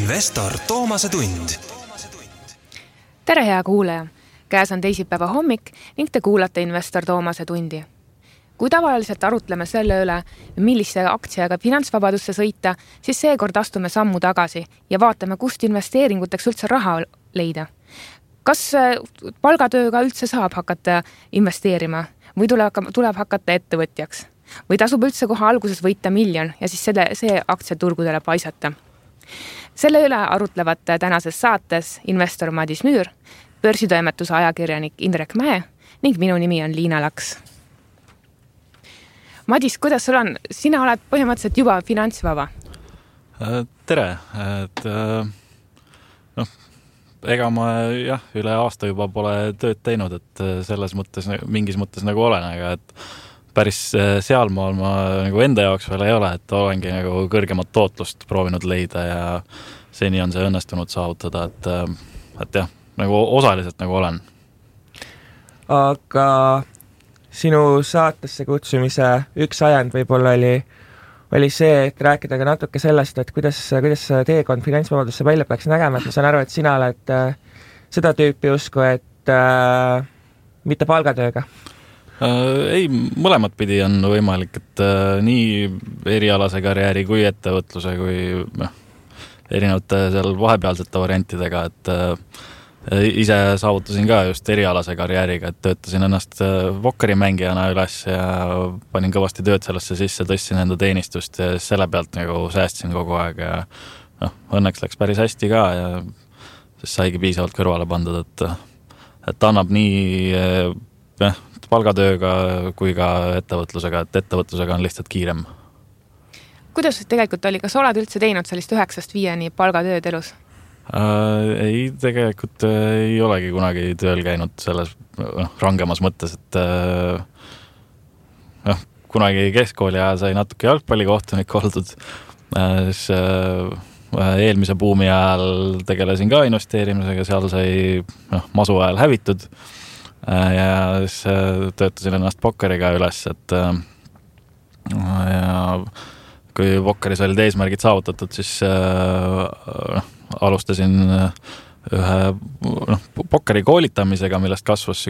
Investor Toomase tund. Tere hea kuulaja! Käes on teisipäeva hommik ning te kuulate Investor Toomase tundi. Kui tavaliselt arutleme selle üle, millise aktsiaga finantsvabadusse sõita, siis seekord astume sammu tagasi ja vaatame, kust investeeringuteks üldse raha leida. Kas palgatööga üldse saab hakata investeerima või tuleb hakata ettevõtjaks? Või tasub üldse kohe alguses võita 1 miljon ja siis see aktsiaturgudele paisata? Selle üle arutlevad tänases saates investor Madis Müür, börsitoimetuse ajakirjanik Indrek Mäe ning minu nimi on Liina Laks. Madis, kuidas sul on? Sina oled põhimõtteliselt juba finantsvaba. Tere! Ega ma üle aasta juba pole tööd teinud, et selles mõttes, mingis mõttes nagu olen, aga et päris sealmaal ma nagu enda jaoks veel ei ole, et olengi nagu kõrgemat tootlust proovinud leida ja seni on see õnnestunud saavutada, et jah, nagu osaliselt nagu olen. Aga sinu saatesse kutsumise üks ajend võib-olla oli see, et rääkida ka natuke sellest, et kuidas teekond finantsvabadusse välja peaks nägema, et ma saan aru, et sina oled seda tüüpi usku, et mitte palgatööga. Ei, mõlemat pidi on võimalik, et nii erialase karjääri kui ettevõtluse kui erinevate seal vahepealsete variantidega, et ise saavutasin ka just erialase karjääriga, et töötasin ennast vokkerimängijana üles ja panin kõvasti tööd sellesse sisse, tõstsin enda teenistust ja selle pealt nagu säästsin kogu aeg ja õnneks läks päris hästi ka ja siis saigi piisavalt kõrvale pandud, et annab nii palgatööga kui ka ettevõtlusega, et ettevõtlusega on lihtsalt kiirem. Kuidas tegelikult oli? Kas oled üldse teinud sellist 9-5 palgatööd elus? Ei, tegelikult ei olegi kunagi tööl käinud selles rangemas mõttes, et kunagi keskkooli ajal sai natuke jalgpallikohtunik oldud, siis eelmise buumi ajal tegelesin ka investeerimisega, seal sai masu ajal hävitud ja siis töötasin ennast pokkeriga üles, et ja kui pokkeris olid eesmärgid saavutatud, siis alustasin ühe pokkeri koolitamisega, millest kasvas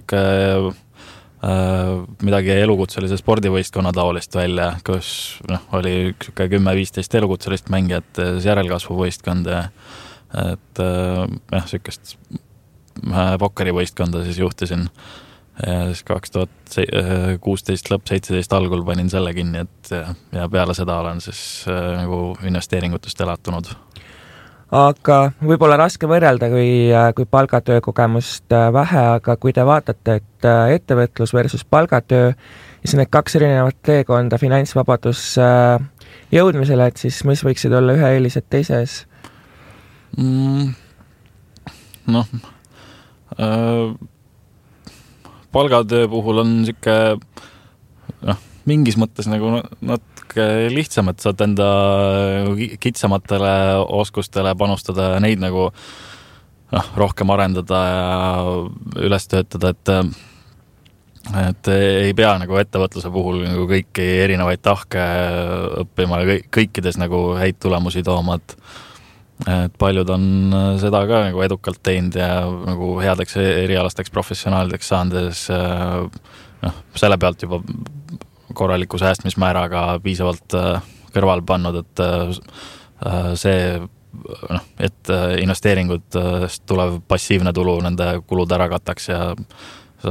midagi elukutselise spordivõistkonna taolist välja, kus oli 10-15 elukutselist mängijat järelkasvuvõistkond, et sükest pokkerivõistkonda siis juhtisin ja siis 2016 lõpp 17 algul panin selle kinni, et ja peale seda olen siis nagu investeeringutest elatunud. Aga võib-olla raske võrrelda, kui palgatöö kogemust vähe, aga kui te vaatate, et ettevõtlus versus palgatöö ja siis need 2 erinevat teekonda finantsvabadus jõudmisele, et siis mis võiksid olla ühe eelised teises? Palgatöö puhul on mingis mõttes nagu natuke lihtsam, et saad enda kitsamatele oskustele panustada ja neid nagu rohkem arendada ja üles töötada, et ei pea nagu ettevõtluse puhul nagu kõiki erinevaid tahke õppima ja kõikides nagu häid tulemusi tooma, et paljud on seda ka nagu edukalt teinud ja nagu headeks erialasteks professionaalideks saandes selle pealt juba korraliku säästmismääraga piisavalt kõrval pannud, et see, et investeeringutest tulev passiivne tulu nende kulud ära kataks ja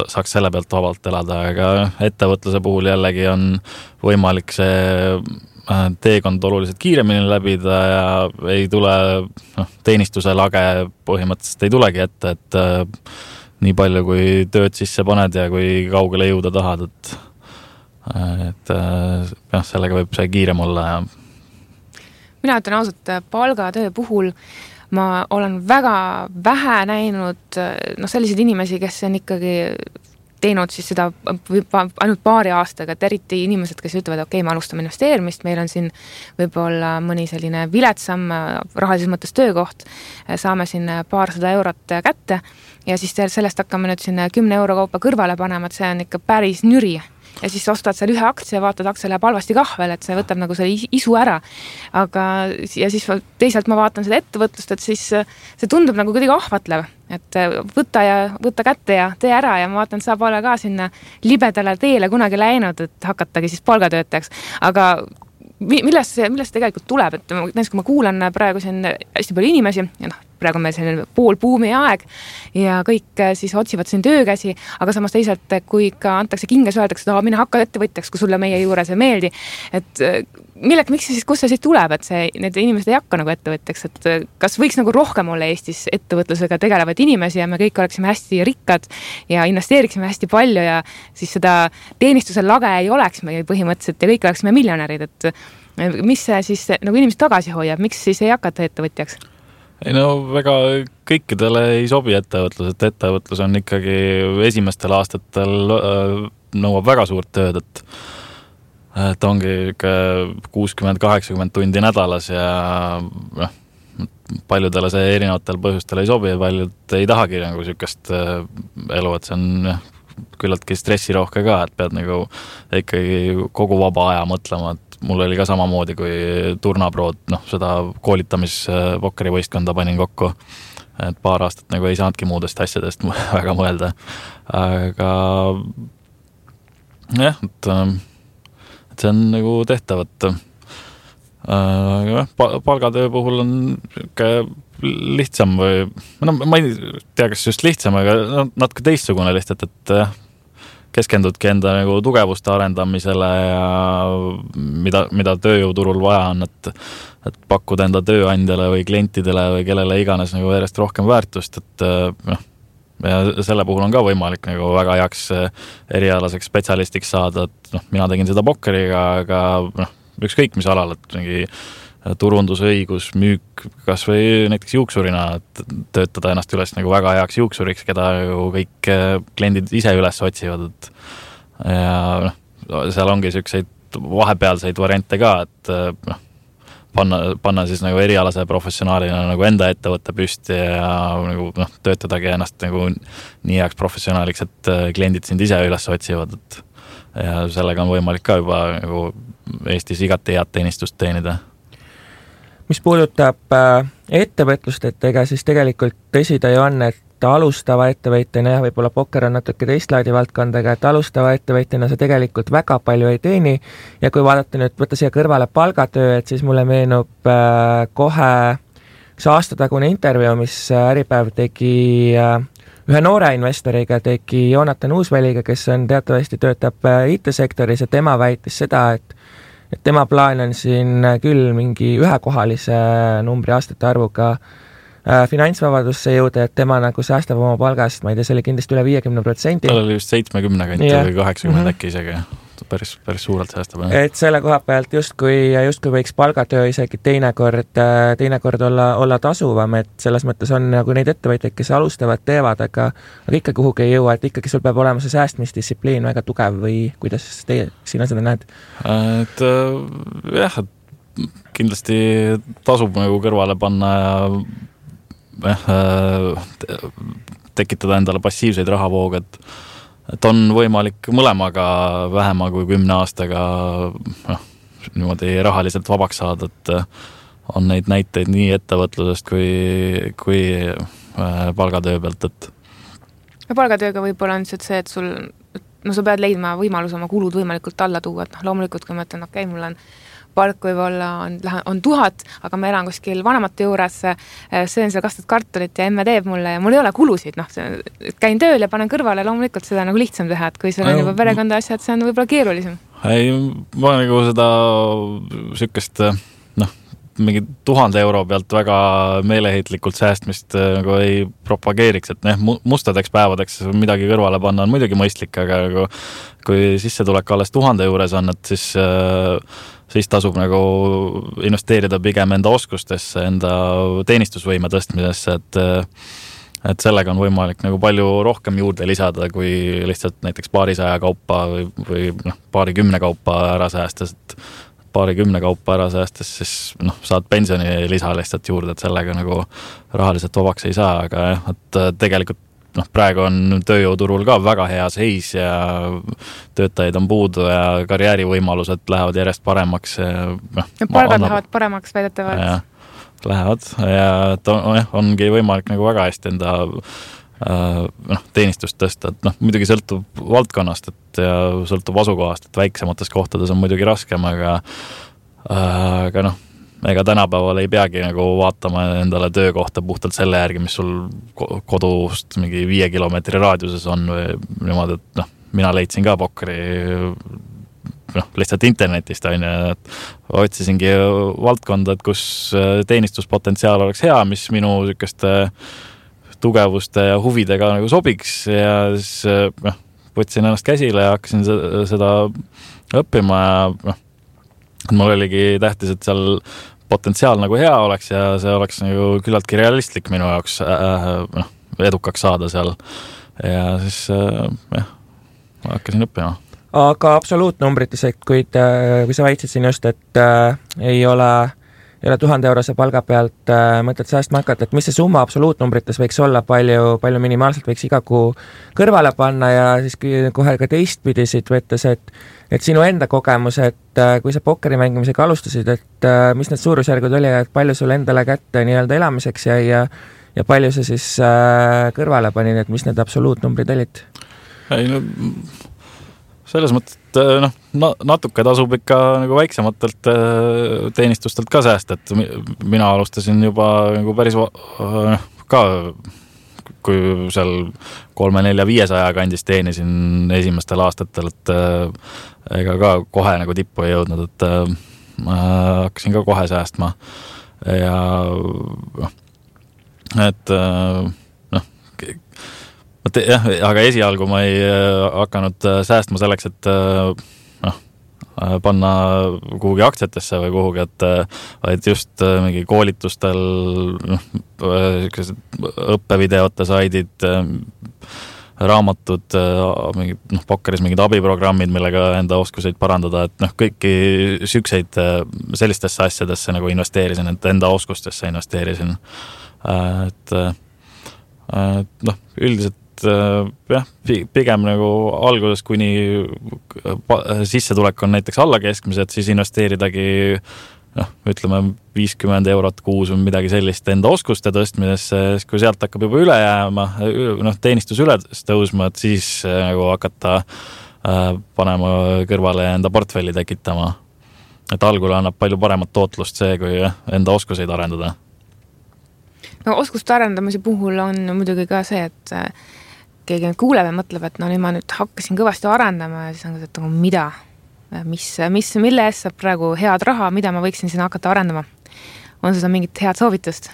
saaks selle pealt vabalt elada, aga ettevõtluse puhul jällegi on võimalik see teekond oluliselt kiiremini läbida ja ei tule teenistuse lage põhimõtteliselt ei tulegi ette, et nii palju kui tööd sisse paned ja kui kaugele jõuda tahad, et sellega võib see kiirem olla ja mina ütlen ausalt, palgatöö puhul ma olen väga vähe näinud selliseid inimesi, kes on ikkagi teinud siis seda ainult paari aastaga, et eriti inimesed, kes ütlevad, okei, me alustame investeerimist, meil on siin võib-olla mõni selline viletsam rahalises mõttes töökoht, saame siin paarsada eurot kätte ja siis sellest hakkame nüüd siin 10 euro kaupa kõrvale panema, et see on ikka päris nüri. ja siis ostad seal ühe aktsia ja vaatad, aktsia läheb halvasti kah veel, et see võtab nagu selle isu ära. Aga ja siis teisalt ma vaatan seda ettevõtlust, et siis see tundub nagu kuidagi ahvatlev, et võta kätte ja tee ära ja ma vaatan, sa pole ka sinna libedale teele kunagi läinud, et hakatagi siis palgatöötajaks. Aga millest tegelikult tuleb, et näiteks kui ma kuulan praegu siin hästi palju inimesi ja praegu meil selline poolbuumi aeg ja kõik siis otsivad siin töökäsi, aga samas teisalt, kui ikka antakse kinges, öeldakse, et mine hakka ettevõtjaks, kui sulle meie juures ei meeldi, et miks siis, kus see siis tuleb, et need inimesed ei hakka nagu ettevõtjaks, et kas võiks nagu rohkem olla Eestis ettevõtlusega tegelevaid inimesi ja me kõik oleksime hästi rikkad ja investeeriksime hästi palju ja siis seda teenistuse lage ei oleks meil põhimõtteliselt ja kõik oleksime miljonärid, et mis see siis nagu inimesed tagasi hoiab, miks siis ei hakata ettevõtjaks? Ei väga kõikidele ei sobi ettevõtlus, et ettevõtlus on ikkagi esimestel aastatel nõuab väga suurt tööd, et ongi 60-80 tundi nädalas ja paljudele see erinevatel põhjustel ei sobi ja paljud ei tahagi nagu sükest elu, et see on küllaltki stressirohke ka, et pead nagu ikkagi kogu vaba aja mõtlema, et mul oli ka samamoodi, kui Turnaprood, seda koolitamispokkeri-võistkonda panin kokku, et paar aastat nagu ei saanudki muudest asjadest väga mõelda, aga jah, et see on nagu tehtav, et palgatöö puhul on lihtsam või ma ei tea, kas just lihtsam, aga natuke teistsugune lihtsalt, et keskendudki enda nagu tugevuste arendamisele ja mida tööjõuturul vaja on, et pakkuda enda tööandjale või klientidele või kellele iganes nagu järjest rohkem väärtust, et ja selle puhul on ka võimalik nagu väga heaks erialaseks spetsialistiks saada, et mina tegin seda pokkeriga, aga ükskõik mis alal, et mingi turundusõigus, müük, kas või näiteks juuksurina, et töötada ennast üles nagu väga heaks juuksuriks, keda kõik kliendid ise üles otsivad, et ja seal ongi selliseid vahepealseid variante ka, et panna siis nagu erialase professionaalina nagu enda ettevõtte püsti ja nagu töötadagi ennast nagu nii heaks professionaaliks, et kliendid sind ise üles otsivad, et ja sellega on võimalik ka juba nagu Eestis igati head teenistust teenida. Mis puudutab ettevõtlust, et ega siis tegelikult tõsi ta ju on, et alustava ettevõtjana ja võib-olla pokker on natuke teist laadi valdkondaga, et alustava ettevõtjana sa tegelikult väga palju ei teeni ja kui vaadata nüüd, võtta siia kõrvale palgatöö, et siis mulle meenub kohe üks aastatagune intervjuu, mis Äripäev tegi ühe noore investoriga, tegi Joonatan Uusväliga, kes on teatavasti töötab IT-sektoris ja tema väitis seda, et tema plaan on siin küll mingi ühekohalise numbri aastate arvuga finantsvabadusse jõuda, et tema nagu säästab oma palgast, ma ei tea, see oli kindlasti üle 50%. Tal oli just 70 kanti või 80 äkki isegi, päris suurelt säästab. Et selle koha pealt justkui võiks palgatöö isegi teinekord olla tasuvam, et selles mõttes on nagu neid ettevõtjaid, kes alustavad, teevad, aga ikka kuhugi ei jõua, et ikkagi sul peab olema see säästmisdistsipliin väga tugev või kuidas sina seda näed? Et jah, et kindlasti tasub nagu kõrvale panna ja tekitada endale passiivseid rahavoog, et on võimalik mõlemaga vähema kui 10 aastaga niimoodi rahaliselt vabaks saada, et on neid näiteid nii ettevõtlusest kui palgatöö pealt, et palgatööga võib-olla on see, et sa pead leidma võimalus oma kulud võimalikult alla tuua, et loomulikult, kui ma ütlen, okei, mul on palk võib-olla on 1000, aga ma elan kuskil vanemate juures, söön seal kastud kartulit ja emme teeb mulle ja mul ei ole kulusid, käin tööl ja panen kõrvale, loomulikult seda nagu lihtsam teha, et kui sul on juba perekonda asjad, see on võib-olla keerulisem. Ei, ma nagu seda sükest mingi 1000 euro pealt väga meeleheitlikult säästmist nagu ei propageeriks, et mustadeks päevadeks midagi kõrvale panna on muidugi mõistlik, aga kui sissetulek alles 1000 juures on, et siis tasub nagu investeerida pigem enda oskustesse, enda teenistusvõime tõstmisesse, et sellega on võimalik nagu palju rohkem juurde lisada, kui lihtsalt näiteks paarisaja kaupa või paarikümne kaupa ära säästes, et paarikümne kaupa ära säästes, siis saad pensioni lisa lihtsalt juurde, et sellega nagu rahaliselt vabaks ei saa, aga jah, et tegelikult praegu on tööjõuturul ka väga hea seis ja töötajaid on puudu ja karjäärivõimalused lähevad järjest paremaks. Palgad lähevad paremaks väidetavalt. Lähevad ja ongi võimalik nagu väga hästi enda teenistust tõsta, et muidugi sõltub valdkonnast ja sõltub asukohast, et väiksemates kohtades on muidugi raskem, aga ega tänapäeval ei peagi nagu vaatama endale töökohta puhtalt selle järgi, mis sul kodust mingi 5 kilomeetri raadiuses on või niimoodi, et mina leidsin ka Pokkeri lihtsalt internetist et otsisingi valdkonda, et kus teenistuspotentsiaal oleks hea, mis minu sükeste tugevuste ja huvidega nagu sobiks ja siis võtsin ennast käsile ja hakkasin seda õppima ja mul oligi tähtis, et seal potentsiaal nagu hea oleks ja see oleks nagu küllaltki realistlik minu jaoks edukaks saada seal ja siis hakkasin õppima. Aga absoluutnumbrites, et kui sa väitsid siin just, et ei ole 1000-eurose palga pealt mõtled säästma hakata, et mis see summa absoluutnumbrites võiks olla, palju minimaalselt võiks iga kuu kõrvale panna ja siis kohe ka teistpidi siit võttes, et sinu enda kogemus, et kui sa pokkeri mängimisega alustasid, et mis need suurusjärgud oli, et palju sul endale kätte nii-öelda elamiseks jäi ja palju sa siis kõrvale panid, et mis need absoluutnumbrid olid? Selles mõttes, et natuke tasub ikka nagu väiksematelt teenistustelt ka säästa, et mina alustasin juba nagu päris ka, kui seal 300-400-500 kandis teenisin esimestel aastatel, et ega ka kohe nagu tippu ei jõudnud, et hakkasin ka kohe säästma ja aga esialgu ma ei hakanud säästma selleks, et panna kuhugi aktsiatesse või kuhugi, et just mingi koolitustel õppevideote saidid, raamatud, Pokkeris mingid abiprogrammid, millega enda oskuseid parandada, et kõiki sükseid sellistesse asjadesse nagu investeerisin, et enda oskustesse investeerisin. Üldiselt pigem nagu alguses, kuni sissetulek on näiteks alla keskmise, et siis investeeridagi ütleme 50 eurot kuus või midagi sellist enda oskuste tõstmisesse, kui sealt hakkab juba üle jääma, teenistus üles tõusma, et siis nagu hakata panema kõrvale ja enda portfelli tekitama. Et algul annab palju paremat tootlust see, kui enda oskuseid arendada. Oskuste arendamise puhul on muidugi ka see, et keegi kuuleb ja mõtleb, et nüüd ma hakkasin kõvasti arendama ja siis on ka, et mida? Mille eest saab praegu head raha, mida ma võiksin siin hakata arendama? On seda mingit head soovitust?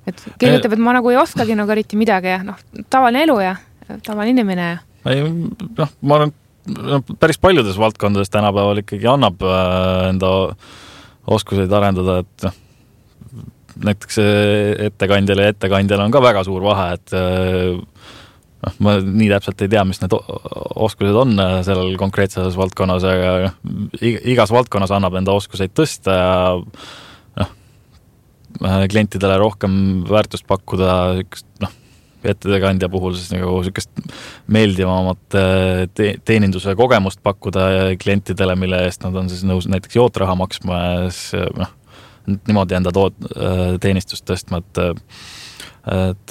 Et keegi ütleb, et ma nagu ei oskagi nagu eriti midagi ja tavaline elu ja tavaline inimene ja. Ma arvan, päris paljudes valdkondades tänapäeval ikkagi annab enda oskuseid arendada, et näiteks ettekandjale on ka väga suur vahe, et ma nii täpselt ei tea, mis need oskused on sellel konkreetses valdkonnas, aga igas valdkonnas annab enda oskuseid tõsta ja klientidele rohkem väärtust pakkuda, ettekandja puhul siis nagu sükest meeldivamat teeninduse kogemust pakkuda klientidele, mille eest nad on siis nõus näiteks jootraha maksma ja siis niimoodi enda teenistust tõstma, et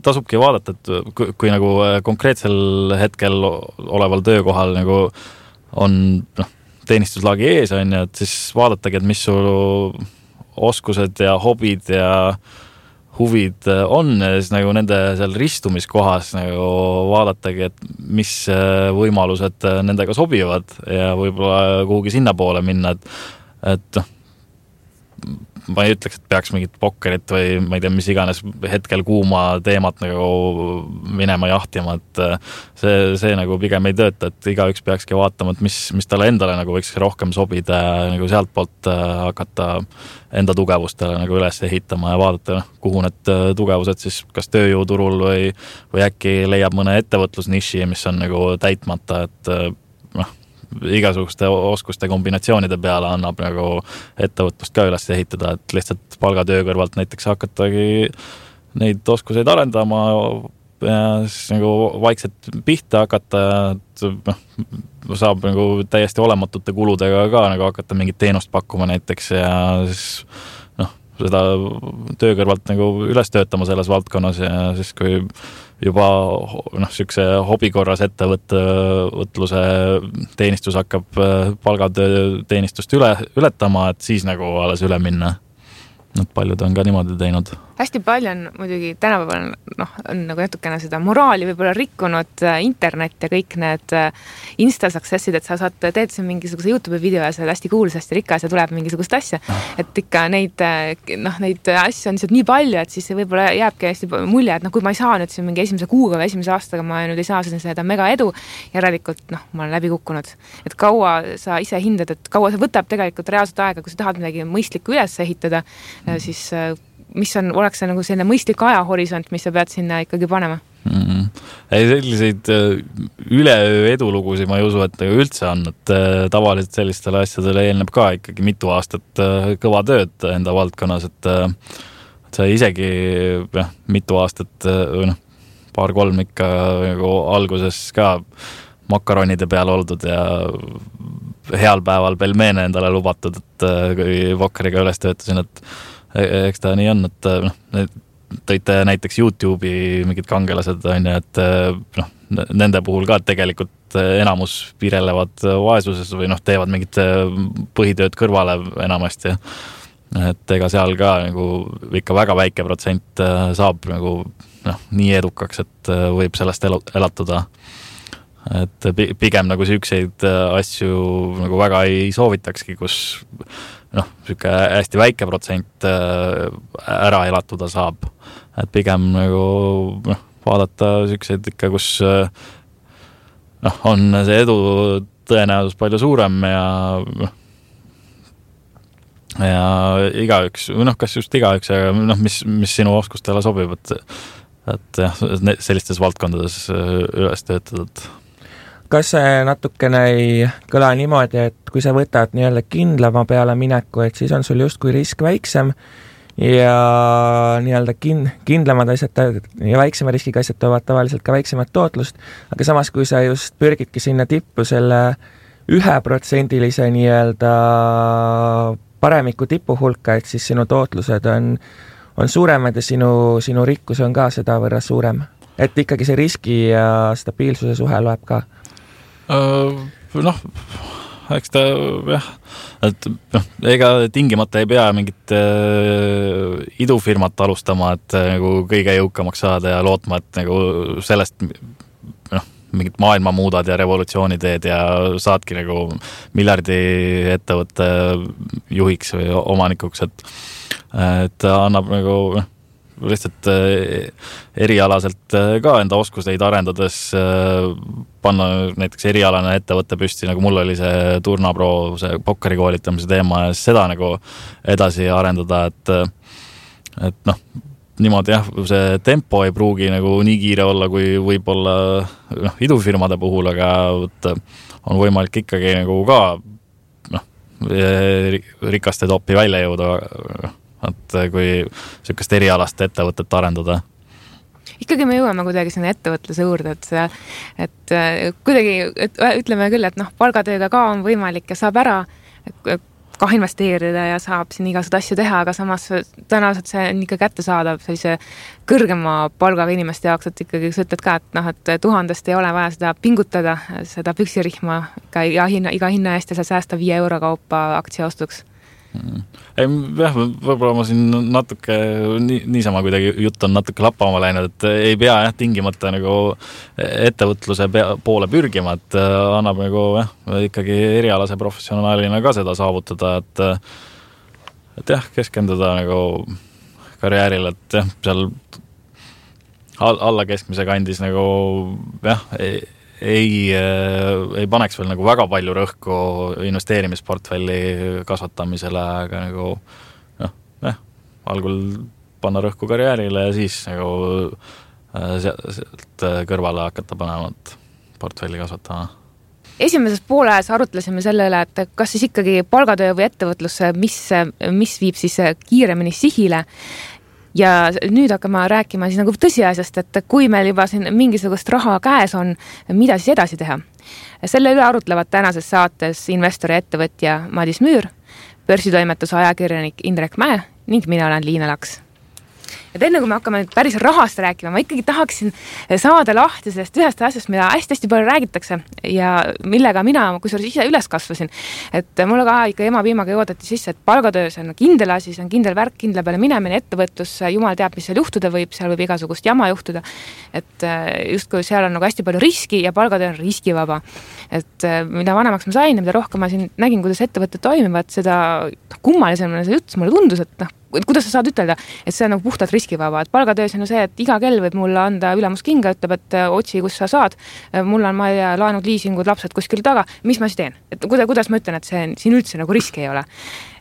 tasubki vaadata, et kui nagu konkreetsel hetkel oleval töökohal nagu on teenistuslagi ees, et siis vaadatagi, et mis su oskused ja hobid ja huvid on ja siis nagu nende seal ristumiskohas nagu vaadatagi, et mis võimalused nendega sobivad ja võib-olla kuhugi sinna poole minna, et ma ei ütleks, et peaks mingit pokkerit või ma ei tea, mis iganes hetkel kuuma teemat nagu minema jahtima, et see nagu pigem ei tööta, et igaüks peakski vaatama, et mis talle endale nagu võiks rohkem sobida ja nagu sealt poolt hakata enda tugevustele nagu üles ehitama ja vaadata, kuhu need tugevused siis kas tööjõuturul või äkki leiab mõne ettevõtlusniši, mis on nagu täitmata, et igasuguste oskuste kombinatsioonide peale annab nagu ettevõtlust ka üles ehitada, et lihtsalt palgatöö kõrvalt näiteks hakatagi neid oskuseid arendama ja siis nagu vaikselt pihta hakata, et saab nagu täiesti olematute kuludega ka nagu hakata mingit teenust pakkuma näiteks ja siis seda töö kõrvalt nagu üles töötama selles valdkonnas ja siis kui juba siukse hobikorras ettevõtluse teenistus hakkab palgatöö teenistust ületama, et siis nagu alles üle minna. Paljud on ka niimoodi teinud. Hästi palju on muidugi tänapäeval on nagu natukene seda moraali võib-olla rikkunud internet ja kõik need Insta-successid, et sa teed siin mingisuguse YouTube video ja sa oled hästi kuulus, hästi rikas ja tuleb mingisugust asja. Et ikka neid asju on nii palju, et siis võib-olla jääbki hästi mulje, et kui ma ei saa nüüd siin mingi esimese kuuga või esimese aastaga, ma nüüd ei saa seda mega edu, järelikult ma olen läbi kukkunud. Et kaua sa ise hindad, et kaua see võtab tegelikult reaalselt aega, kui sa tahad midagi mõistlikku üles ehitada, siis mis oleks see nagu selline mõistlik ajahorisont, mis sa pead sinna ikkagi panema? Ei, selliseid üleöö edulugusi ma ei usu, et üldse on, et tavaliselt sellistele asjadele eelneb ka ikkagi mitu aastat kõva tööd enda valdkonnas, et sa isegi mitu aastat paar-kolm ikka nagu alguses ka makaronide peal oldud ja heal päeval pelmeene endale lubatud, et kui Vokkeriga üles töötasin, et eks ta nii on, et tõite näiteks YouTube'i mingid kangelased on ja et nende puhul ka tegelikult enamus pirelevad vaesuses või teevad mingit põhitööd kõrvale enamasti. Et ega seal ka nagu ikka väga väike protsent saab nagu nii edukaks, et võib sellest elatuda. Et pigem nagu siukseid asju nagu väga ei soovitakski, kus siuke hästi väike protsent ära elatuda saab. Et pigem nagu vaadata siukseid ikka, kus on see edu tõenäosus palju suurem ja igaüks, kas just igaüks, aga mis sinu oskustele sobib, et sellistes valdkondades üles töötatud. Kas see natukene ei kõla niimoodi, et kui sa võtad nii-öelda kindlama peale mineku, et siis on sul justkui risk väiksem ja nii-öelda kindlamad asjad ja väiksema riskiga asjad toovad tavaliselt ka väiksemat tootlust, aga samas kui sa just pürgidki sinna tippu selle 1% nii-öelda paremiku tipu hulka, et siis sinu tootlused on suuremad ja sinu rikkus on ka seda võrra suurem. Et ikkagi see riski ja stabiilsuse suhe loeb ka. Eks ta et ega tingimata ei pea mingit idufirmat alustama, et nagu kõige jõukamaks saada ja lootma, et nagu sellest mingit maailma muudad ja revolutsiooni teed ja saadki nagu miljardi ettevõtte juhiks või omanikuks, et annab nagu lihtsalt erialaselt ka enda oskuseid arendades panna näiteks erialane ettevõtte püsti, nagu mul oli see Turnapro, see pokkeri koolitamise teema ja seda nagu edasi arendada, et niimoodi see tempo ei pruugi nagu nii kiire olla, kui võib-olla idufirmade puhul, aga on võimalik ikkagi nagu ka rikaste topi välja jõuda, et kui sellist erialast ettevõtet arendada. Ikkagi me jõuame kuidagi sinna ettevõtluse juurde, et kuidagi ütleme küll, et palgatööga ka on võimalik ja saab ära ka investeerida ja saab siin igasugused asju teha, aga samas tõenäoliselt see on ikka kätte saadav sellise kõrgema palgaga inimeste jaoks, et ikkagi sa ütled ka, et 1000 ei ole vaja seda pingutada, seda püksirihma iga hinna eest ja sa säästa 5 euro kaupa aktsiaostuks. Jah, võib-olla ma siin natuke niisama kuidagi jutt on natuke lappama läinud, et ei pea tingimata nagu ettevõtluse poole pürgima, et annab nagu ikkagi erialase professionaalina ka seda saavutada, et keskenduda nagu karjäärile, et seal alla keskmise kandis nagu ei paneks veel nagu väga palju rõhku investeerimisportfelli kasvatamisele, aga nagu algul panna rõhku karjäärile ja siis nagu sealt kõrvale hakata panemat portfelli kasvatama. Esimeses pooles arutlesime selle üle, et kas siis ikkagi palgatöö või ettevõtlus, mis viib siis kiiremini sihile. Ja nüüd hakkame rääkima siis nagu tõsiasjast, et kui meil juba siin mingisugust raha käes on, mida siis edasi teha. Selle üle arutlevad tänases saates investori ettevõtja Madis Müür, börsitoimetuse ajakirjanik Indrek Mäe ning mina olen Liina Laks. Et enne kui me hakkame päris rahast rääkima, ma ikkagi tahaksin saada lahti sellest ühest asjast, mida hästi palju räägitakse ja millega mina kusjuures ise üles kasvasin. Et mulle ka ikka ema-piimaga joodati sisse, et palgatöö see on kindel asi, see on kindel värk, kindla peale minemine, ettevõtlus, jumal teab, mis seal juhtuda võib, seal võib igasugust jama juhtuda. Et justkui seal on nagu hästi palju riski ja palgatöö on riskivaba. Et mida vanemaks ma sain ja mida rohkem ma siin nägin, kuidas ettevõtted toimivad, seda kummalisemine see jutt mulle tundus, et kuidas sa saad ütelda, et see on nagu puhtalt riskivaba, et palgatöös on see, et iga kell võib mulle anda ülemus kinga, ütleb, et otsi, kus sa saad, mul on laenud, liisingud, lapsed kuskil taga, mis ma siis teen? Et kuidas ma ütlen, et siin üldse nagu riski ei ole?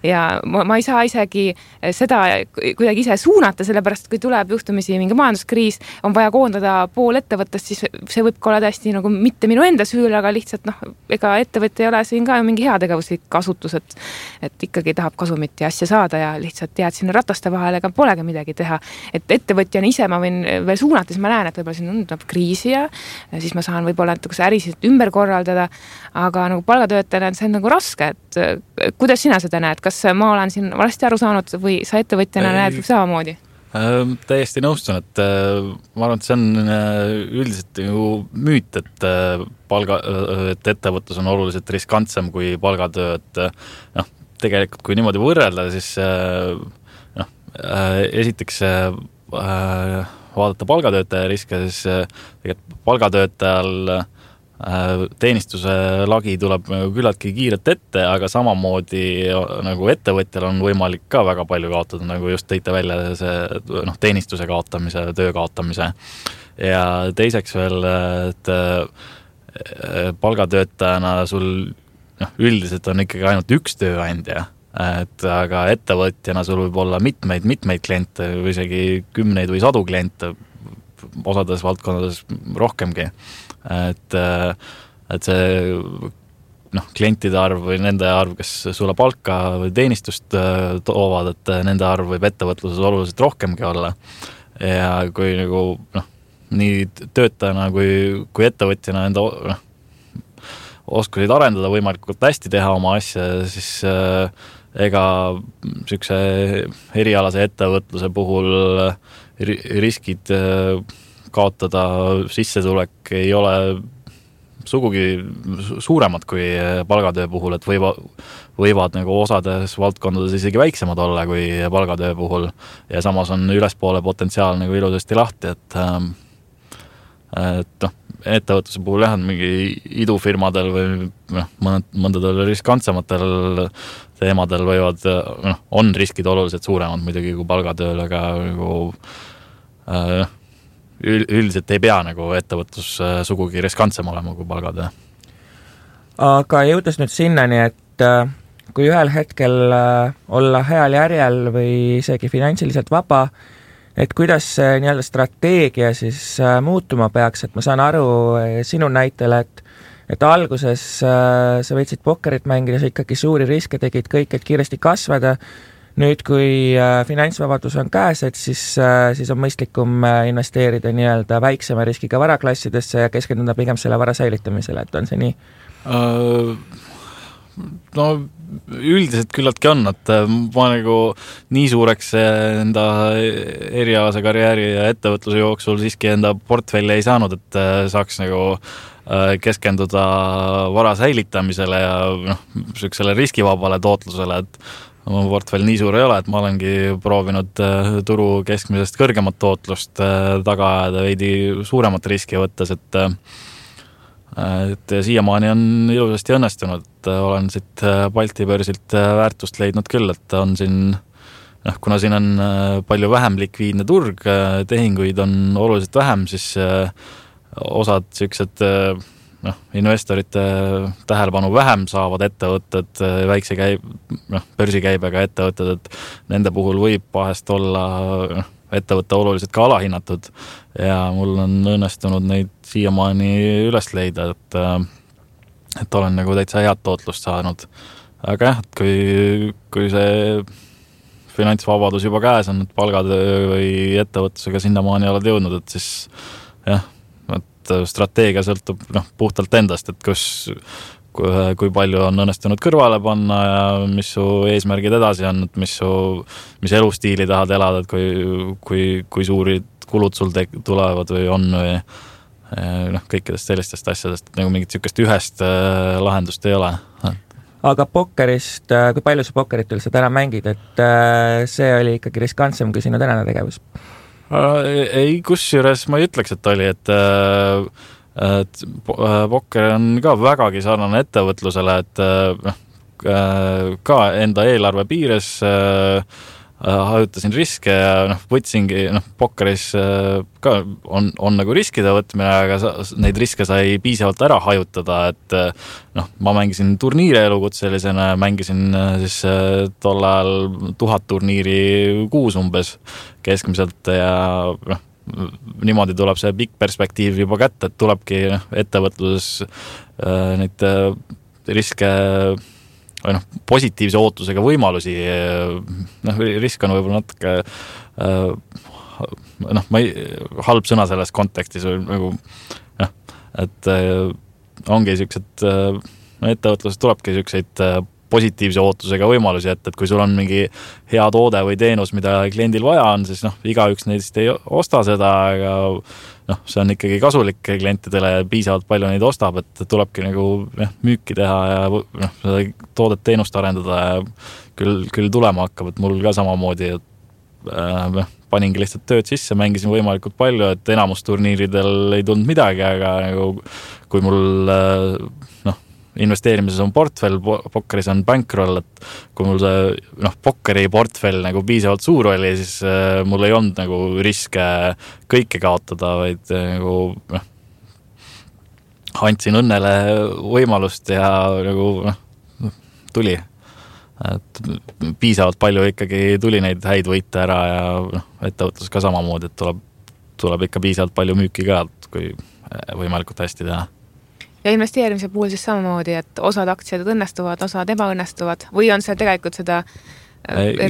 Ja ma ei saa isegi seda kuidagi ise suunata, sellepärast kui tuleb juhtumisi mingi majanduskriis, on vaja koondada pool ettevõttest, siis see võib olla täiesti nagu mitte minu enda süül, aga lihtsalt ega ettevõtte ei ole siin ka mingi heategevuslik kasutus, et ikkagi tahab kasumit ja asja saada ja lihtsalt jääd sinna rataste vahele, ega polegi midagi teha. Et ettevõtjana ise ma võin veel suunata, siis ma näen, et võib-olla siin on kriisi ja siis ma saan võib-olla natuke ärisid ümber korraldada, aga nagu palgatöötajana see on nagu raske, et kuidas sina seda näed? Kas ma olen siin valesti aru saanud või sa ettevõtjana näed samamoodi? Täiesti nõustun, et ma arvan, et see on üldiselt ju müüt, et ettevõtlus on oluliselt riskantsem kui palgatöö, et tegelikult kui niimoodi võrrelda, siis esiteks vaadata palgatöötaja riske, siis tegelikult palgatöötajal teenistuse lagi tuleb küllaltki kiirelt ette, aga samamoodi nagu ettevõtjal on võimalik ka väga palju kaotada, nagu just tõite välja see teenistuse kaotamise, töö kaotamise. Ja teiseks veel, et palgatöötajana sul üldiselt on ikkagi ainult üks tööandja, aga ettevõtjana sul võib olla mitmeid kliente või isegi 10 või 100 kliente, osades valdkondades rohkemgi. Et see klientide arv või nende arv, kes sulle palka või teenistust toovad, et nende arv võib ettevõtluses oluliselt rohkemgi olla. Ja kui nagu nii töötajana kui ettevõtjana enda oskusid arendada võimalikult hästi teha oma asja, siis ega sükse erialase ettevõtluse puhul riskid kaotada sissetulek ei ole sugugi suuremad kui palgatöö puhul, et võivad nagu osades valdkondades isegi väiksemad olla kui palgatöö puhul ja samas on ülespoole potentsiaal nagu ilusasti lahti, et ettevõtluse puhul on mingi idufirmadel või mõndadel riskantsematel teemadel võivad, on riskid oluliselt suuremad muidugi kui palgatööl, aga nagu üldiselt ei pea nagu ettevõtlus sugugi riskantsem olema kui palgatöö. Aga jõudes nüüd sinnani, et kui ühel hetkel olla heal järjel või isegi finantsiliselt vaba, et kuidas see nii-öelda strateegia siis muutuma peaks, et ma saan aru sinu näitel, et alguses sa võtsid pokkerit mängida, sa ikkagi suuri riske tegid kõik, et kiiresti kasvada. Nüüd, kui finantsvabadus on käes, et siis on mõistlikum investeerida nii-öelda väiksema riskiga varaklassidesse ja keskenduda pigem selle vara säilitamisele, et on see nii? No üldiselt küllaltki on, et ma nagu nii suureks enda erialase karjääri ja ettevõtluse jooksul siiski enda portfelli ei saanud, et saaks nagu keskenduda vara säilitamisele ja selle riskivabale tootlusele, et oma portfell nii suur ei ole, et ma olengi proovinud turu keskmisest kõrgemat tootlust taga ajada veidi suuremat riski võttes, et siiamaani on ilusasti õnnestunud, olen siit Balti börsilt väärtust leidnud küll, et on siin, kuna siin on palju vähem likviidne turg, tehinguid on oluliselt vähem, siis osad sellised investorite tähelepanu vähem saavad ettevõtted, väikse börsikäibega ettevõtted, et nende puhul võib vahest olla ettevõtte oluliselt ka alahinnatud ja mul on õnnestunud neid siiamaani üles leida, et olen nagu täitsa head tootlust saanud. Aga jah, et kui see finantsvabadus juba käes on, et palgad või ettevõtlusega sinnamaani oled jõudnud, et siis jah, et strateegia sõltub puhtalt endast, et kui palju on õnnestunud kõrvale panna ja mis su eesmärgid edasi on, et mis elustiili tahad elada, et kui suurid kulud sul tulevad või on või kõikidest sellistest asjadest, et nagu mingit sükest ühest lahendust ei ole. Aga pokkerist, kui palju sa pokkerit üldse täna mängid, et see oli ikkagi riskantsem kui sinu tänane tegevus? Ei, kusjuures ma ei ütleks, et oli, et pokker on ka vägagi sarnane ettevõtlusele, et ka enda eelarve piires hajutasin riske ja võtsingi, pokkeris ka on nagu riskide võtmine, aga neid riske sai piisavalt ära hajutada, et ma mängisin turniire elukutselisena, mängisin siis tol ajal 1000 turniiri kuus umbes keskmiselt ja niimoodi tuleb see pikk perspektiiv juba kätte, et tulebki ettevõtluses neid riske või positiivse ootusega võimalusi, risk on võib-olla natuke halb sõna selles kontekstis nagu, et ongi siuksed ettevõtluses tulebki siukseid positiivse ootusega võimalusi, et kui sul on mingi hea toode või teenus, mida kliendil vaja on, siis igaüks neist ei osta seda, aga see on ikkagi kasulik klientidele ja piisavalt palju neid ostab, et tulebki nagu müüki teha ja seda toodet teenust arendada ja küll tulema hakkab, et mul ka samamoodi, et paningi lihtsalt tööd sisse, mängisin võimalikult palju, et enamus turniiridel ei tulnud midagi, aga nagu, kui mul investeerimises on portfell, pokkeris on bankroll, et kui mul see pokkeri portfell nagu piisavalt suur oli, siis mul ei olnud nagu riske kõike kaotada, vaid nagu andsin õnnele võimalust ja nagu tuli. Et piisavalt palju ikkagi tuli neid häid võite ära ja ettevõtlus ka samamoodi, et tuleb ikka piisavalt palju müüki ka, kui võimalikult hästi teha. Ja investeerimise puhul siis samamoodi, et osad aktsiad õnnestuvad, osad ebaõnnestuvad või on see tegelikult seda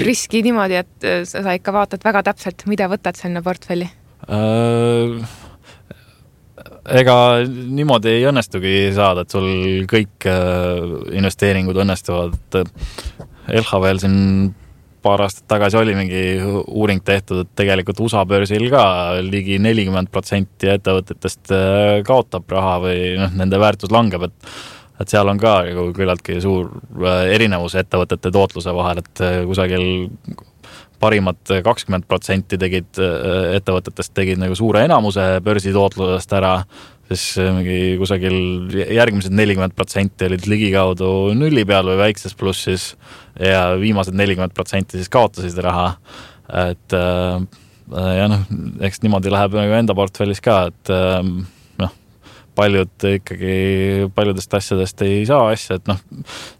riski niimoodi, et sa ikka vaatad väga täpselt, mida võtad sinna portfelli? Ega niimoodi ei õnnestugi saada, et sul kõik investeeringud õnnestuvad. LHV-l siin paar aastat tagasi oli mingi uuring tehtud, et tegelikult USA börsil ka ligi 40% ettevõtetest kaotab raha või nende väärtus langeb, et seal on ka küllaltki suur erinevus ettevõtete tootluse vahel, et kusagil parimad 20% ettevõtetest tegid nagu suure enamuse börsi tootlusest ära, siis mingi kusagil järgmised 40% olid ligikaudu nulli peal või väikses plussis ja viimased 40% siis kaotasid raha. Et ja eks niimoodi läheb nagu enda portfellis ka, et paljud ikkagi paljudest asjadest ei saa asja, et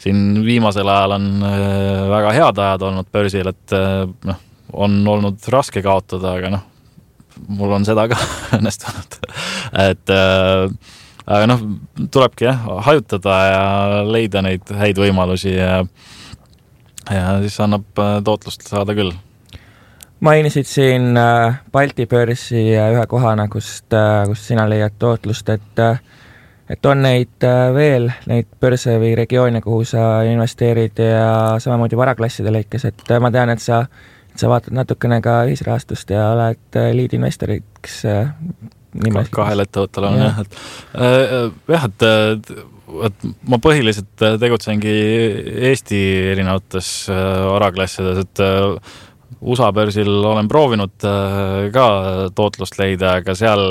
siin viimasel ajal on väga head ajad olnud börsil, et on olnud raske kaotada, aga mul on seda ka õnnestunud. Et aga tulebki hajutada ja leida neid häid võimalusi ja siis annab tootlust saada küll. Mainisid siin Balti börsi ühe kohana, kust sina leiad tootlust, et on neid veel, neid börse või regioone, kuhu sa investeerid ja samamoodi varaklasside lõikes, et ma tean, et sa vaatad natukene ka ühisrahastust ja oled liidinvestoriks kahel ettevõttel on et ma põhiliselt tegutsengi Eesti erinevates varaklassides, et USA börsil olen proovinud ka tootlust leida, aga seal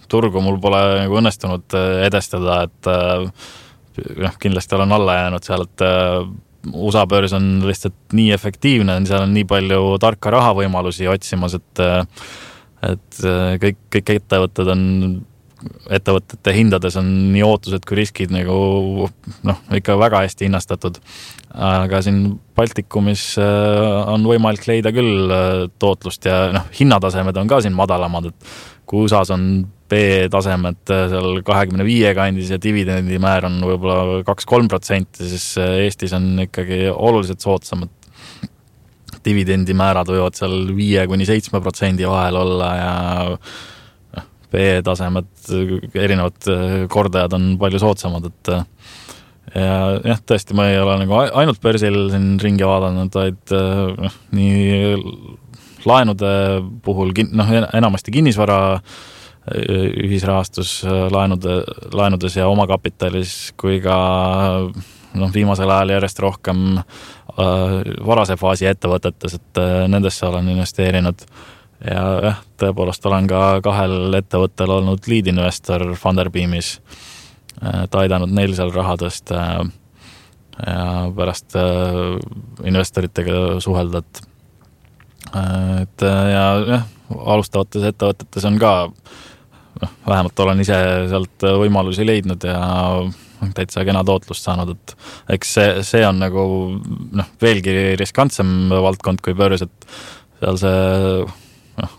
turgu mul pole nagu õnnestunud edestada, et kindlasti olen alla jäänud seal, et USA börs on lihtsalt nii efektiivne, seal on nii palju tarka raha võimalusi otsimas, et kõik ettevõtete hindades on nii ootused kui riskid nagu ikka väga hästi hinnastatud. Aga siin Baltikumis on võimalik leida küll tootlust ja hinnatasemed on ka siin madalamad, et kui USAs on B-tasemed seal 25 kandis ja dividendimäär on võib-olla 2-3%, siis Eestis on ikkagi oluliselt soodsamad. dividendimäärad võivad seal 5-7% vahel olla ja B-tasemed, erinevad kordajad on palju soodsamad, et ja jah, tõesti, ma ei ole nagu ainult börsil siin ringi vaadanud, vaid nii laenude puhul, enamasti kinnisvara ühisrahastus laenudes ja omakapitalis, kui ka viimasel ajal järjest rohkem varase faasi ettevõtetes, et nendesse olen investeerinud ja jah, tõepoolest olen ka 2 ettevõttel olnud lead-investor Funderbeamis, et aidanud neil seal raha tõsta ja pärast investoritega suhelda, et ja jah, alustavates ettevõtetes on ka vähemalt olen ise sealt võimalusi leidnud ja täitsa kena tootlust saanud, et eks see on nagu veelgi riskantsem valdkond kui börs, et seal see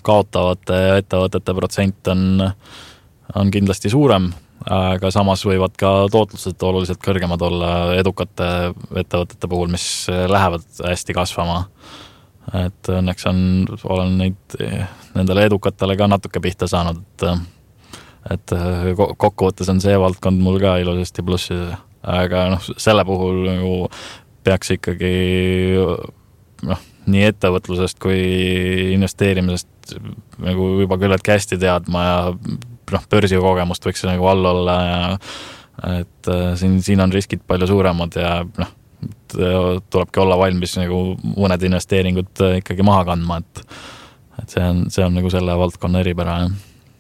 kaotavate ettevõtete protsent on kindlasti suurem, aga samas võivad ka tootlused oluliselt kõrgemad olla edukate ettevõtete puhul, mis lähevad hästi kasvama. Et õnneks olen nendele edukatele ka natuke pihta saanud, et kokkuvõttes on see valdkond mul ka ilusasti plussis, aga selle puhul nagu peaks ikkagi nii ettevõtlusest kui investeerimisest nagu juba küllaltki hästi teadma ja börsi kogemust võiks nagu all olla ja et siin on riskid palju suuremad ja tulebki olla valmis nagu mõned investeeringud ikkagi maha kandma, et see on nagu selle valdkonna eripära.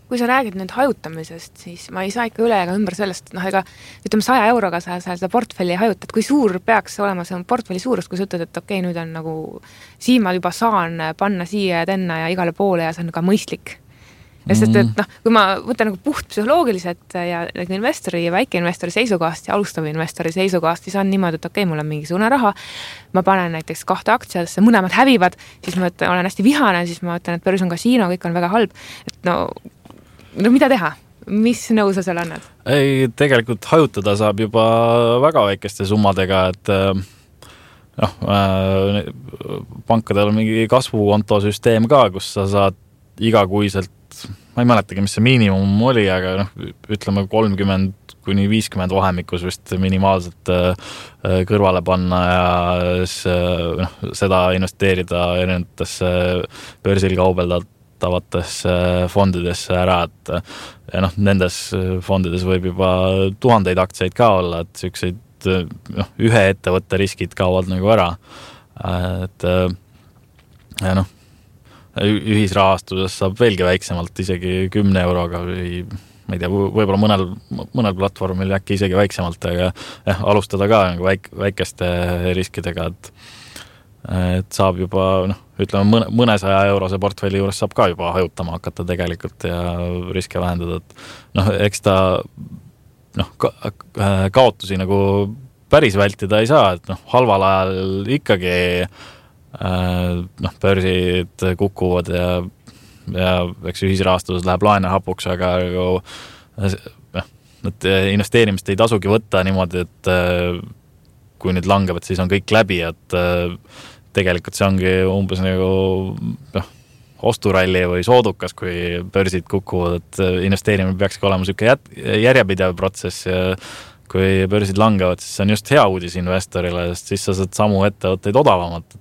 Kui sa räägid nüüd hajutamisest, siis ma ei saa ikka üle ega ümber sellest, ega ütleme 100 euroga sa seda portfelli hajutad, kui suur peaks olema see portfelli suurus, kui sa ütled, et okei, nüüd on nagu siin ma juba saan panna siia ja tänna ja igale poole ja see on ka mõistlik. Sest, et kui ma võtan nagu puht psühholoogiliselt ja nagu investori ja väikeinvestori seisukohast ja alustava investori seisukohast, siis on niimoodi, et okei, mul on mingisugune raha, ma panen näiteks 2 aktsiadesse, mõlemad hävivad, siis ma olen hästi vihane, siis ma ütlen, et börs on kasiino, kõik on väga halb. Et no mida teha? Mis nõu sa seal annad? Ei, tegelikult hajutada saab juba väga väikeste summadega, et pankadel on mingi kasvukontosüsteem ka, kus sa saad igakuiselt, ma ei mäletagi, mis see miinimum oli, aga ütleme 30-50 vahemikus vist minimaalselt kõrvale panna ja seda investeerida erinevatesse börsil kaubeldavatesse fondidesse ära, et ja nendes fondides võib juba 1000 aktsiaid ka olla, et selliseid ühe ettevõtte riskid kaovad nagu ära, et ja ühisrahastuses saab veelgi väiksemalt, isegi 10 euroga või ma ei tea, võib-olla mõnel platvormil äkki isegi väiksemalt, aga alustada ka nagu väikeste riskidega, et saab juba, ütleme mõnesaja eurose portfelli juures saab ka juba hajutama hakata tegelikult ja riske vähendada, et eks ta kaotusi nagu päris vältida ei saa, et halval ajal ikkagi börsid kukuvad ja eks ühisrahastuses läheb laene hapuks, aga et investeerimist ei tasugi võtta niimoodi, et kui nüüd langevad, siis on kõik läbi, et tegelikult see ongi umbes nagu osturalli või soodukas, kui börsid kukuvad, et investeerimine peakski olema selline järjepidev protsess ja kui börsid langevad, siis see on just hea uudis investorile, sest siis sa saad samu ettevõtteid odavamat, et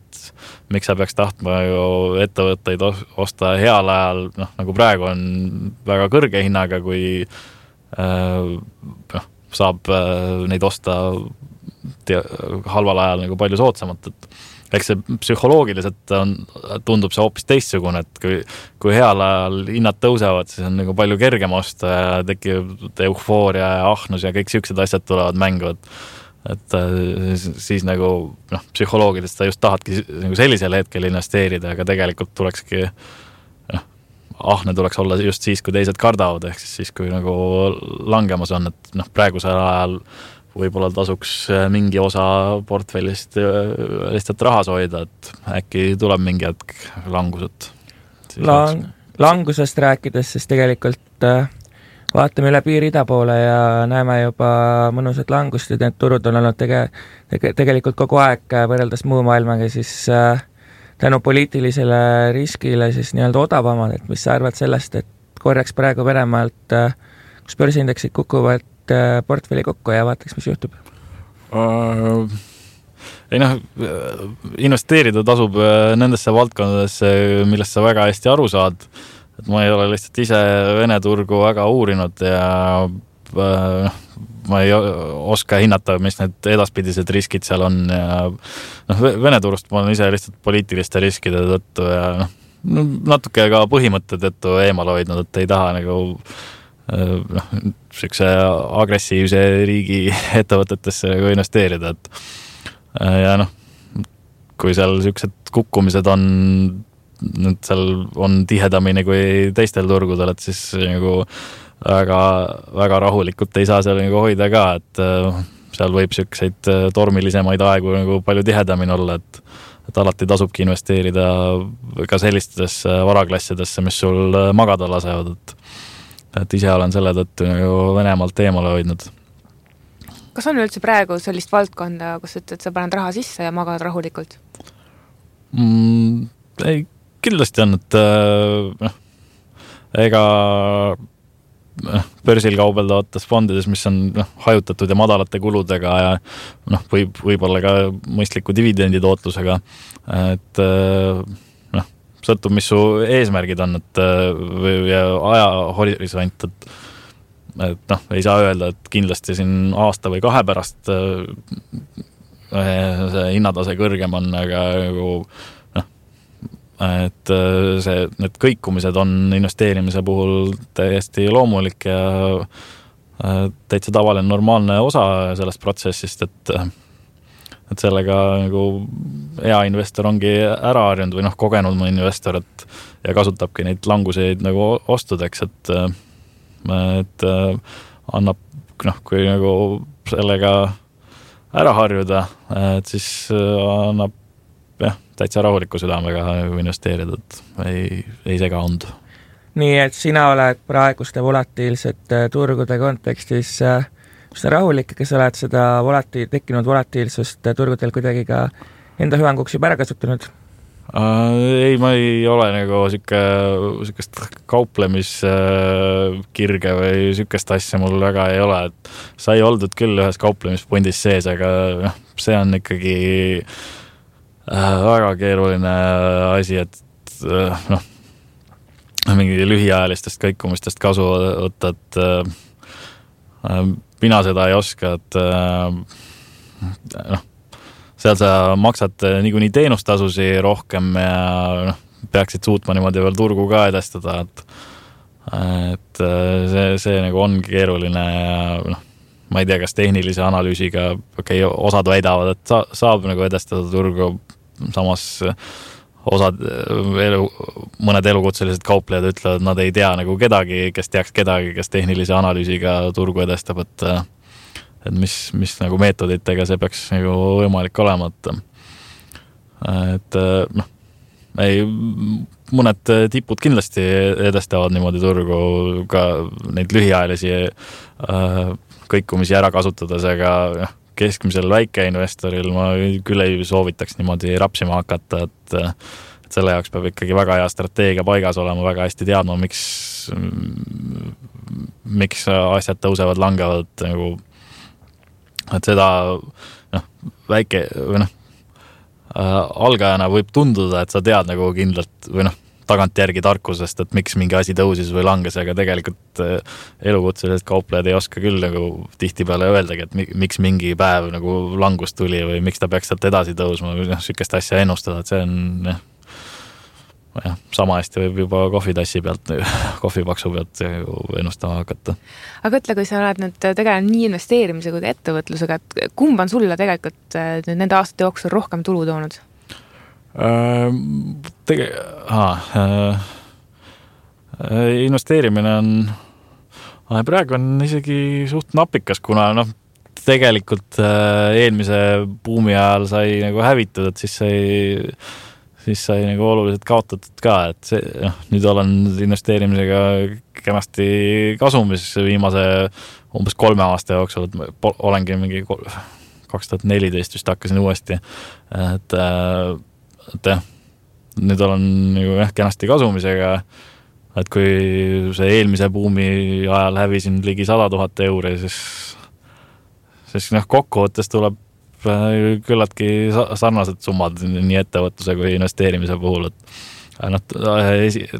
miks sa peaks tahtma ju ettevõtteid osta heal ajal, nagu praegu on väga kõrge hinnaga, kui saab neid osta halval ajal nagu palju soodsamat, et eks see psühholoogiliselt tundub see hoopis teistsugune, et kui heal ajal hinnad tõusevad, siis on nagu palju kergem osta ja tekib eufooria ja ahnus ja kõik siuksed asjad tulevad mängu, et siis nagu psühholoogiliselt sa just tahadki nagu sellisel hetkel investeerida, aga tegelikult tulekski ahne tuleks olla just siis, kui teised kardavad, ehk siis kui nagu langemas on, et praegusel ajal võib-olla tasuks mingi osa portfellist lihtsalt rahas hoida, et äkki tuleb mingi hetk langused. Langusest rääkides, siis tegelikult vaatame üle piiri ida poole ja näeme juba mõnusad langust ja need turud on olnud tegelikult kogu aeg võrreldes muu maailmaga siis tänu poliitilisele riskile siis nii-öelda odavamad, et mis sa arvad sellest, et korraks praegu Venemaalt, kus börsiindeksid kukuvad portfelli kokku ja vaataks, mis juhtub? Ei investeerida tasub nendesse valdkondadesse, millest sa väga hästi aru saad. Et ma ei ole lihtsalt ise Vene turgu väga uurinud ja ma ei oska hinnata, mis need edaspidised riskid seal on ja Vene turust ma olen ise lihtsalt poliitiliste riskide tõttu ja natuke ka põhimõtte tõttu eemal hoidnud, et ei taha nagu sellise agressiivse riigi ettevõtetesse nagu investeerida, et ja kui seal sellised kukkumised on, seal on tihedamini kui teistel turgudel, et siis nagu väga, väga rahulikult ei saa seal nagu hoida ka, et seal võib selliseid tormilisemaid aegu nagu palju tihedamini olla, et alati tasubki investeerida ka sellistesse varaklassidesse, mis sul magada lasevad, et ise olen selle tõttu nagu Venemaalt eemale hoidnud. Kas on üldse praegu sellist valdkonda, kus ütled, sa paned raha sisse ja magad rahulikult? Ei, kindlasti on, et ega börsil kaubeldavates fondides, mis on hajutatud ja madalate kuludega ja võib-olla ka mõistliku dividendi tootlusega, et sõltub, mis su eesmärgid on, et ja ajahorisont, et ei saa öelda, et kindlasti siin aasta või 2 pärast see hinnatase kõrgem on, aga et need kõikumised on investeerimise puhul täiesti loomulik ja täitsa tavaline normaalne osa sellest protsessist, et sellega nagu hea investor ongi ära harjunud või kogenud mu investor, ja kasutabki neid languseid nagu ostudeks, et annab, kui nagu sellega ära harjuda, et siis annab täitsa rahuliku südamega investeerida, et ei sega und. Nii, et sina oled praeguste volatiilsete turgude kontekstis rahulik, kes oled seda tekkinud volatiilsust turgudel kuidagi ka enda hüvanguks juba ära kasutanud? Ei, ma ei ole nagu sükest kauplemiskirge või sükest asja mul väga ei ole, et sai oldud küll ühes kauplemispondis sees, aga see on ikkagi väga keeruline asi, et mingi lühiajalistest kõikumistest kasu võtta, et mina seda ei oska, et seal sa maksad niikuinii teenustasusi rohkem ja peaksid suutma niimoodi veel turgu ka edestada, et see nagu ongi keeruline ja ma ei tea, kas tehnilise analüüsiga osad väidavad, et saab nagu edestada turgu, samas mõned elukutselised kauplejad ütlevad, et nad ei tea nagu kedagi, kes teaks kedagi, kes tehnilise analüüsiga turgu edestab, et mis nagu meetoditega see peaks nagu võimalik olema, et mõned tipud kindlasti edestavad niimoodi turgu ka neid lühiajalisi kõikumisi ära kasutades, aga keskmisel väikeinvestoril ma küll ei soovitaks niimoodi rapsima hakata, et selle jaoks peab ikkagi väga hea strateegia paigas olema, väga hästi teadma, miks asjad tõusevad, langevad, nagu, et seda väike või algajana võib tunduda, et sa tead nagu kindlalt või tagantjärgi tarkusest, et miks mingi asi tõusis või langes, aga tegelikult elukutselised kauplejad ei oska küll nagu tihtipeale öeldagi, et miks mingi päev nagu langus tuli või miks ta peaks sealt edasi tõusma või sükest asja ennustada, et see on sama hästi võib juba kohvitassi pealt, kohvipaksu pealt ennustama hakata. Aga ütle, kui sa oled nüüd tegelenud nii investeerimise kui ettevõtlusega, et kumb on sulle tegelikult nende aastate jooksul rohkem tulu toonud? Investeerimine on praegu on isegi suht napikas, kuna tegelikult eelmise buumi ajal sai nagu hävitud, et siis sai nagu oluliselt kaotatud ka, et nüüd olen investeerimisega kenasti kasumis viimase umbes 3 aasta jooksul, et olengi mingi 2014 vist hakkasin uuesti, et nüüd olen nagu kenasti kasumisega, et kui see eelmise buumi ajal hävisin ligi 100 000 euri, siis kokkuvõttes tuleb küllaltki sarnased summad nii ettevõtluse kui investeerimise puhul, et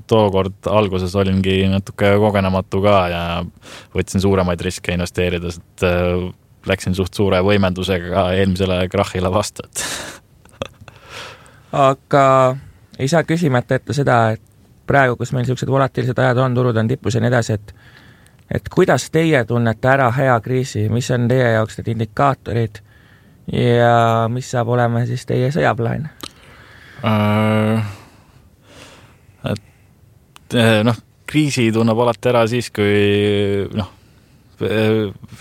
tookord alguses olingi natuke kogenematu ka ja võtsin suuremaid riske investeerides, et läksin suht suure võimendusega eelmisele krahhile vastu. Aga ei saa küsimata ette seda, et praegu, kus meil sellised volatiilsed ajad on, turud on tipus ja nii edasi, et kuidas teie tunnete ära hea kriisi, mis on teie jaoks need indikaatorid ja mis saab olema siis teie sõjaplaan? Kriisi tunneb alati ära siis, kui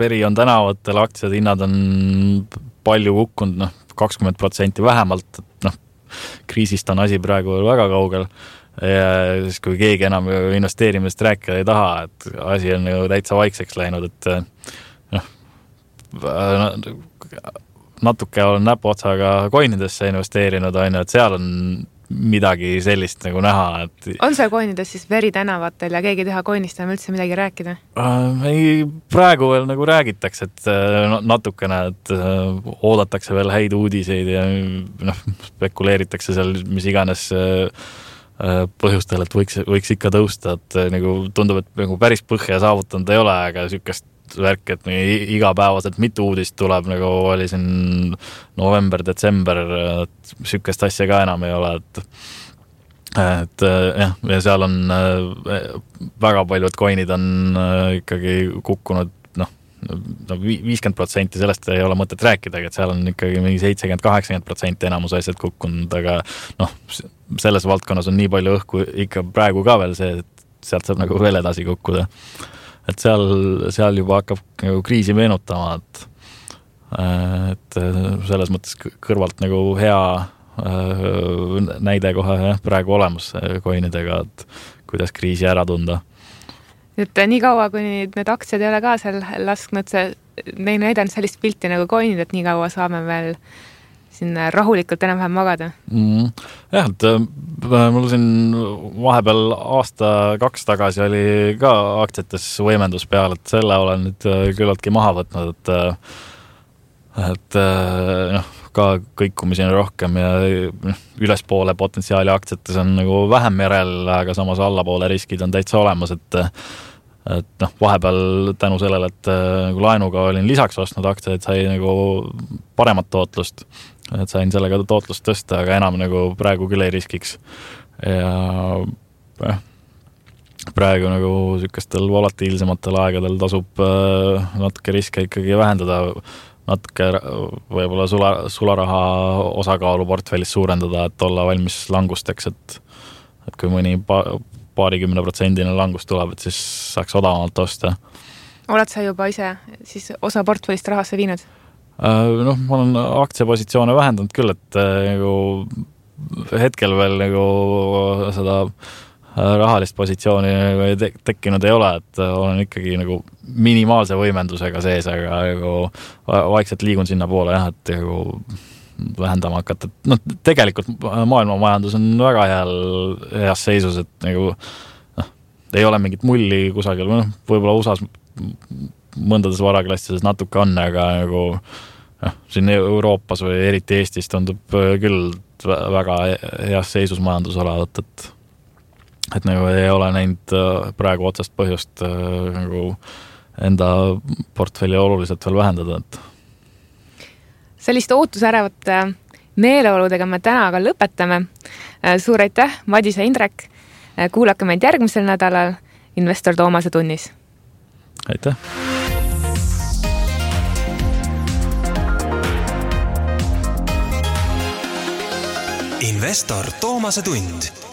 veri on tänavatel, aktsiad, hinnad on palju kukkunud, 20% vähemalt, kriisist on asi praegu väga kaugel ja siis, kui keegi enam investeerimist rääkida ei taha, et asi on täitsa vaikseks läinud, et natuke olen näpuotsaga coinidesse investeerinud, et seal on midagi sellist näha, et on seal coinides siis veri tänavatel ja keegi ei taha coinist enam üldse midagi rääkida? Ei, praegu veel räägitakse, et natukene, et oodatakse veel häid uudiseid ja spekuleeritakse seal mis iganes põhjustel, et võiks ikka tõusta, et tundub, et päris põhja saavutanud ei ole, aga sükest värk, et igapäevaselt mitu uudist tuleb, oli siin november, detsember, et sükest asja ka enam ei ole, et jah, ja seal on väga paljud coinid on ikkagi kukkunud 50% sellest ei ole mõtet rääkida, et seal on ikkagi mingi 70-80% enamus asjad kukkunud, aga selles valdkonnas on nii palju õhku ikka praegu ka veel see, et sealt saab veel edasi kukkuda. Et seal juba hakkab kriisi meenutama, et selles mõttes kõrvalt hea näide kohe praegu olemas coinidega, et kuidas kriisi ära tunda. Et nii kaua, kui need aktsiad ei ole ka seal lasknud, neil näidanud sellist pilti coinid, et nii kaua saame veel siin rahulikult enam-vähem magada. Jah, et mul siin vahepeal aasta-2 tagasi oli ka aktsiates võimendus peal, et selle olen nüüd küllaltki maha võtnud, et ka kõikumisi on rohkem ja ülespoole potentsiaali aktsiates on vähem järel, aga samas allapoole riskid on täitsa olemas, et vahepeal tänu sellele, et laenuga olin lisaks ostnud aktsiaid, sai paremat tootlust, et sain sellega tootlust tõsta, aga enam praegu küll ei riskiks. Ja praegu sükestel volatiilsematel aegadel tasub natuke riske ikkagi vähendada, natuke võib-olla sularaha osakaalu portfellis suurendada, et olla valmis langusteks, et kui mõni paarikümne protsendine langus tuleb, et siis saaks odavamalt osta. Oled sa juba ise siis osa portfellist rahasse viinud? Ma olen aktsiapositsioone vähendanud küll, et hetkel veel seda rahalist positsiooni tekkinud ei ole, et olen ikkagi minimaalse võimendusega sees, aga vaikselt liigun sinna poole, jah, et vähendama hakata. Tegelikult maailma majandus on väga heas seisus, et ei ole mingit mulli kusagil, võib-olla USAs mõndades varaklassides natuke on, aga siin Euroopas või eriti Eestis tundub küll väga heas seisus majandus olevat, et ei ole näinud praegu otsast põhjust enda portfelli oluliselt veel vähendada. Sellist ootusärevate meeleoludega me täna aga lõpetame. Suur aitäh, Madis ja Indrek. Kuulake meid järgmisel nädalal Investor Toomase tunnis. Aitäh! Investor Toomase tund.